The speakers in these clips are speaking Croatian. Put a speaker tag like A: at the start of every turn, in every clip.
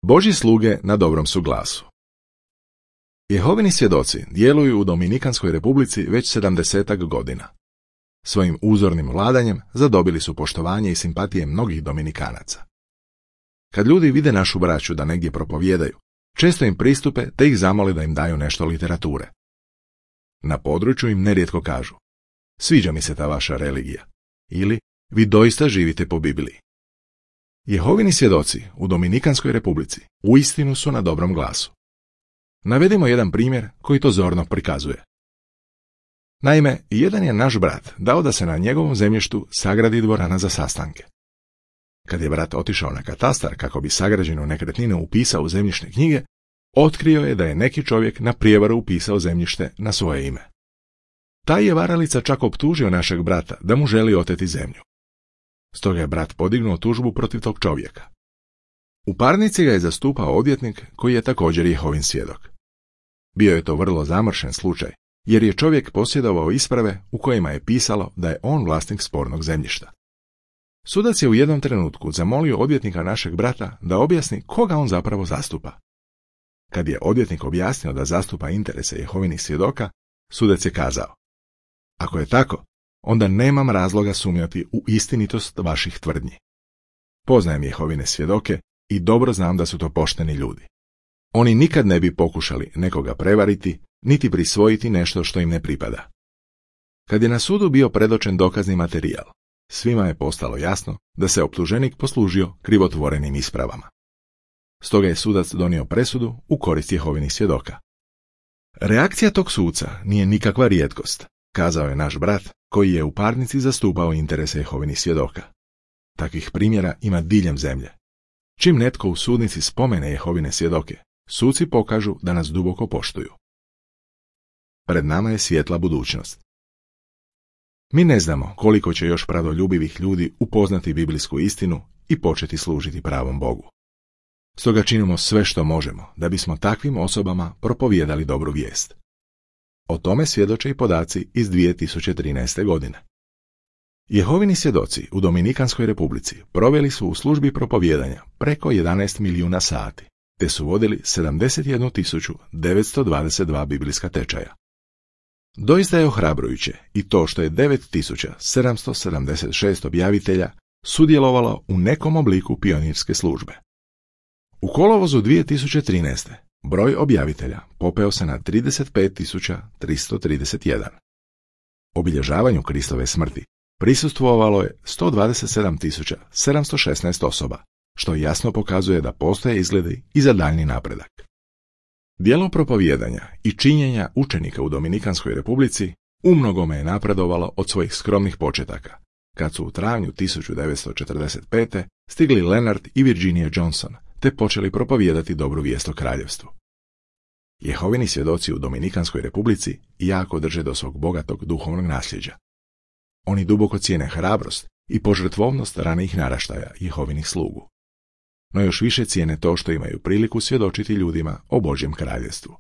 A: Božji sluge na dobrom su glasu. Jehovini svjedoci djeluju u Dominikanskoj Republici već 70-ak godina. Svojim uzornim vladanjem zadobili su poštovanje i simpatije mnogih Dominikanaca. Kad ljudi vide našu braću da negdje propovijedaju, često im pristupe te ih zamole da im daju nešto literature. Na području im nerijetko kažu: sviđa mi se ta vaša religija, ili vi doista živite po Bibliji. Jehovini svjedoci u Dominikanskoj Republici uistinu su na dobrom glasu. Navedimo jedan primjer koji to zorno prikazuje. Naime, jedan je naš brat dao da se na njegovom zemljištu sagradi dvorana za sastanke. Kad je brat otišao na katastar kako bi sagrađenu nekretninu upisao u zemljišne knjige, otkrio je da je neki čovjek na prijevaru upisao zemljište na svoje ime. Taj je varalica čak optužio našeg brata da mu želi oteti zemlju. Stoga je brat podignuo tužbu protiv tog čovjeka. U parnici ga je zastupao odvjetnik koji je također Jehovin svjedok. Bio je to vrlo zamršen slučaj, jer je čovjek posjedovao isprave u kojima je pisalo da je on vlasnik spornog zemljišta. Sudac je u jednom trenutku zamolio odvjetnika našeg brata da objasni koga on zapravo zastupa. Kad je odvjetnik objasnio da zastupa interese Jehovinih svjedoka, sudac je kazao: ako je tako, onda nemam razloga sumnjati u istinitost vaših tvrdnji. Poznajem Jehovine svjedoke i dobro znam da su to pošteni ljudi. Oni nikad ne bi pokušali nekoga prevariti, niti prisvojiti nešto što im ne pripada. Kad je na sudu bio predočen dokazni materijal, svima je postalo jasno da se optuženik poslužio krivotvorenim ispravama. Stoga je sudac donio presudu u korist Jehovinih svjedoka. Reakcija tog suca nije nikakva rijetkost, kazao je naš brat koji je u parnici zastupao interese Jehovinih svjedoka. Takvih primjera ima diljem zemlje. Čim netko u sudnici spomene Jehovine svjedoke, suci pokažu da nas duboko poštuju. Pred nama je svjetla budućnost. Mi ne znamo koliko će još pradoljubivih ljudi upoznati biblijsku istinu i početi služiti pravom Bogu. Stoga činimo sve što možemo da bismo takvim osobama propovijedali dobru vijest. O tome svjedoče i podaci iz 2013. godine. Jehovini svjedoci u Dominikanskoj Republici proveli su u službi propovijedanja preko 11 milijuna sati, te su vodili 71.922 biblijska tečaja. Doista je ohrabrujuće i to što je 9.776 objavitelja sudjelovalo u nekom obliku pionirske službe. U kolovozu 2013. broj objavitelja popeo se na 35.331. Obilježavanju Kristove smrti prisustvovalo je 127.716 osoba, što jasno pokazuje da postoje izgledi i za daljnji napredak. Djelo propovijedanja i činjenja učenika u Dominikanskoj Republici umnogome je napredovalo od svojih skromnih početaka, kad su u travnju 1945. stigli Leonard i Virginia Johnson, te počeli propovijedati dobru vijest o kraljevstvu. Jehovini svjedoci u Dominikanskoj Republici jako drže do svog bogatog duhovnog nasljeđa. Oni duboko cijene hrabrost i požrtvovnost ranijih naraštaja Jehovinih slugu. No još više cijene to što imaju priliku svjedočiti ljudima o Božjem kraljevstvu.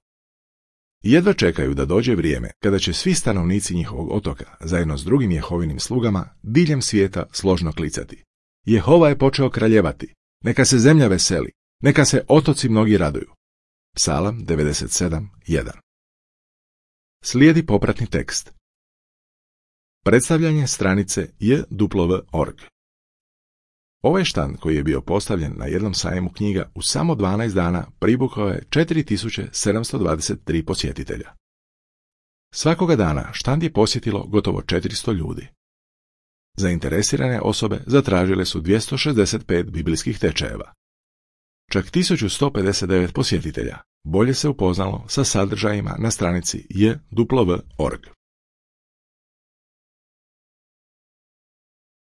A: Jedva čekaju da dođe vrijeme kada će svi stanovnici njihovog otoka zajedno s drugim Jehovinim slugama diljem svijeta složno klicati: Jehova je počeo kraljevati, neka se zemlja veseli, neka se otoci mnogi raduju. Psalam 97:1. Slijedi popratni tekst. Predstavljanje stranice jw.org. Ovaj štand koji je bio postavljen na jednom sajmu knjiga u samo 12 dana privukao je 4723 posjetitelja. Svakoga dana štand je posjetilo gotovo 400 ljudi. Zainteresirane osobe zatražile su 265 biblijskih tečajeva. Čak 1159 posjetitelja bolje se upoznalo sa sadržajima na stranici jw.org.